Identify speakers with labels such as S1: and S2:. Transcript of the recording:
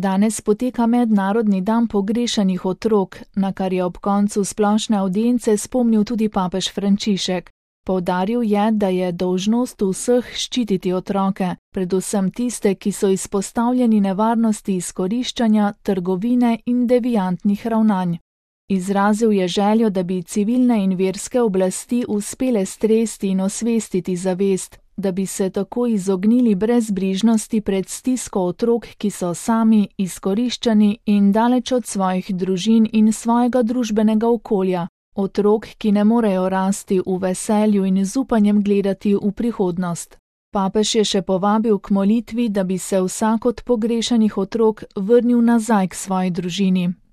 S1: Danes poteka mednarodni dan pogrešanih otrok, na kar je ob koncu splošne avdience spomnil tudi papež Frančišek. Poudaril je, da je dolžnost vseh ščititi otroke, predvsem tiste, ki so izpostavljeni nevarnosti izkoriščanja, trgovine in deviantnih ravnanj. Izrazil je željo, da bi civilne in verske oblasti uspele stresti in osvestiti zavest, da bi se tako izognili brezbrižnosti pred stisko otrok, ki so sami izkoriščani in daleč od svojih družin in svojega družbenega okolja, otrok, ki ne morejo rasti v veselju in z upanjem gledati v prihodnost. Papež je še povabil k molitvi, da bi se vsak od pogrešanih otrok vrnil nazaj k svoji družini.